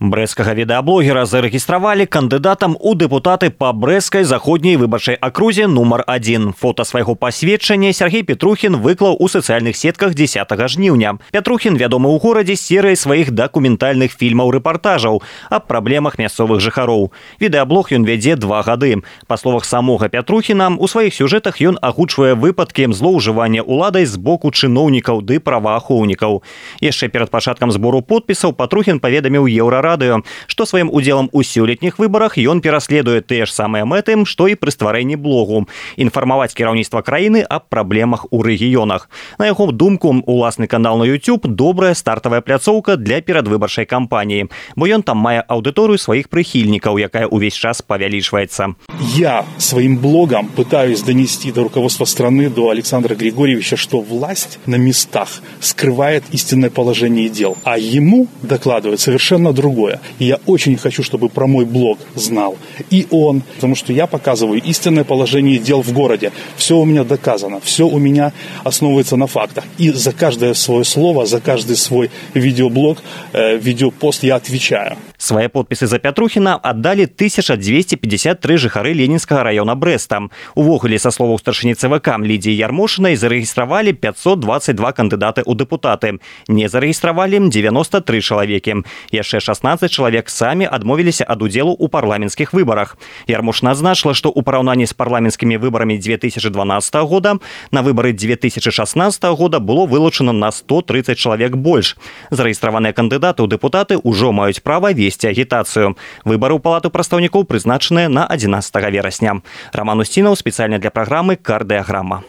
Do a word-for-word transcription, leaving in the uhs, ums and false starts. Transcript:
Брэсцкага відэаблогера зарэгістравалі кандыдатам у дэпутаты па Брэсцкай заходняй выбарчай акрузе нумар адзін. Фота свайго пасведчання Сергей Петрухін выклаў у сацыяльных сетках дзесятага жніўня. Петрухін вядомы ў горадзе серыяй сваіх дакументальных фільмаў-рэпартажаў аб праблемах мясцовых жыхароў. Відэаблог ён вядзе два гады. Па словах самога Петрухіна, у сваіх сюжэтах ён агучвае выпадкі злоўжывання ўладай з боку чыноўнікаў ды праваахоўнікаў. Яшчэ перад пачаткам збору подпісаў Петрухін паведаміў Еўрарадыё, што сваім удзелам у сёлетніх выбарах ён пераследуе тыя ж самыя мэты, што і пры стварэнні блогу – інфармаваць кіраўніцтва краіны аб праблемах у рэгіёнах. На яго думку, уласны канал на YouTube – добрая стартавая пляцоўка для перадвыбарчай кампаніі, бо ён там мае аўдыторыю сваіх прыхільнікаў, якая ўвесь час павялічваецца. Я своим блогом пытаюсь донести до руководства страны, до Александра Григорьевича, что власть на местах скрывает истинное положение дел, а ему докладывает совершенно другое. И я очень хочу, чтобы про мой блог знал и он, потому что я показываю истинное положение дел в городе. Все у меня доказано, все у меня основывается на фактах. И за каждое свое слово, за каждый свой видеоблог, э, видеопост я отвечаю. Свае подпісы за Петрухіна аддалі тысяча дзвесце пятьдесят три жыхары Ленінскага раёна Брэста. Увогуле, са словаў старшыні ЦВК Лідзіі Ярмошынай, зарэгістравалі пятьсот двадцать два кандыдаты ў дэпутаты. Не зарэгістравалі девяносто три чалавекі. Яшчэ шестнадцать чалавек самі адмовіліся ад удзелу ў парламенцкіх выбарах. Ярмошына адзначыла, што ў параўнанні з парламенцкімі выбарамі две тысячи дванадцатого года на выбары две тысячи шестнадцатого года было вылучана на сто тридцать чалавек больш. Зарэгістраваныя кандыдаты ў дэпутаты ўжо маюць права весці агітацыю. Выбары ў палату прадстаўнікоў прызначаныя на адзінаццатага верасня. Роман Устінаў спецыяльна для праграмы «Кардыяграма».